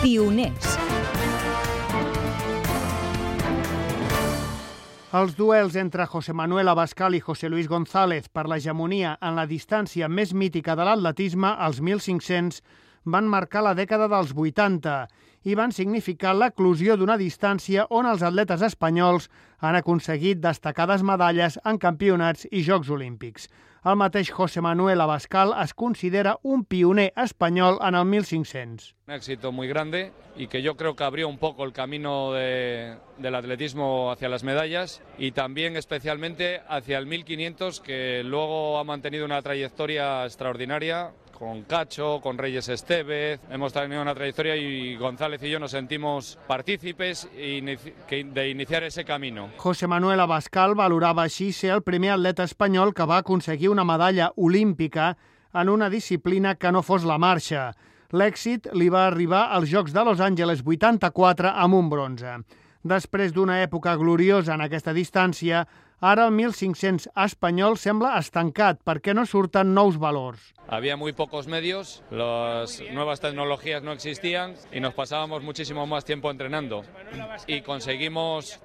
Pioners. Els duels entre José Manuel Abascal i José Luis González per l'hegemonia en la distància més mítica de l'atletisme, els 1.500, van marcar la dècada dels 80 i van significar l'eclosió d'una distància on els atletes espanyols han aconseguit destacades medalles en campionats i Jocs Olímpics. El mateix José Manuel Abascal es considera un pioner espanyol en el 1.500. Un éxito muy grande y que yo creo que abrió un poco el camino del atletismo hacia las medallas y también especialmente hacia el 1500, que luego ha mantenido una trayectoria extraordinaria con Cacho, con Reyes Estevez. Hemos tenido una trayectoria y González y yo nos sentimos partícipes de iniciar ese camino. José Manuel Abascal valorava així ser el primer atleta espanyol que va aconseguir una medalla olímpica en una disciplina que no fos la marxa. L'èxit li va arribar als Jocs de Los Angeles 84 amb un bronze. Després d'una època gloriosa en aquesta distància, ara el 1.500 espanyol sembla estancat perquè no surten nous valors. Había muy pocos medios, las nuevas tecnologías no existían y nos pasábamos muchísimo más tiempo entrenando. Y conseguimos,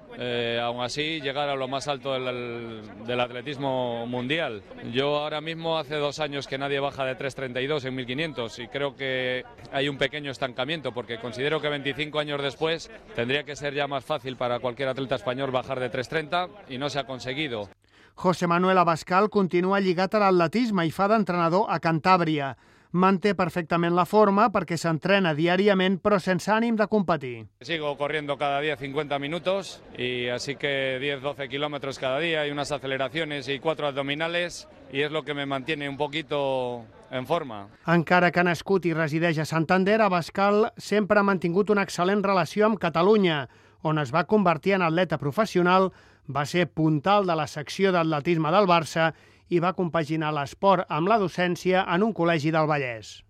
aún así, llegar a lo más alto del atletismo mundial. Yo ahora mismo hace 2 años que nadie baja de 3.32 en 1500 y creo que hay un pequeño estancamiento porque considero que 25 años después tendría que ser ya más fácil para cualquier atleta español bajar de 3.30 y no se ha conseguido. José Manuel Abascal continua lligat a l'atletisme i fa d'entrenador a Cantàbria. Manté perfectament la forma perquè s'entrena diàriament però sense ànim de competir. Sigo corriendo cada día 50 minutos y así que 10-12 kilómetros cada día y unas aceleraciones y 4 abdominales y es lo que me mantiene un poquito en forma. Encara que ha nascut i resideix a Santander, Abascal sempre ha mantingut una excel·lent relació amb Catalunya, on es va convertir en atleta professional, va ser puntal de la secció d'atletisme del Barça i va compaginar l'esport amb la docència en un col·legi del Vallès.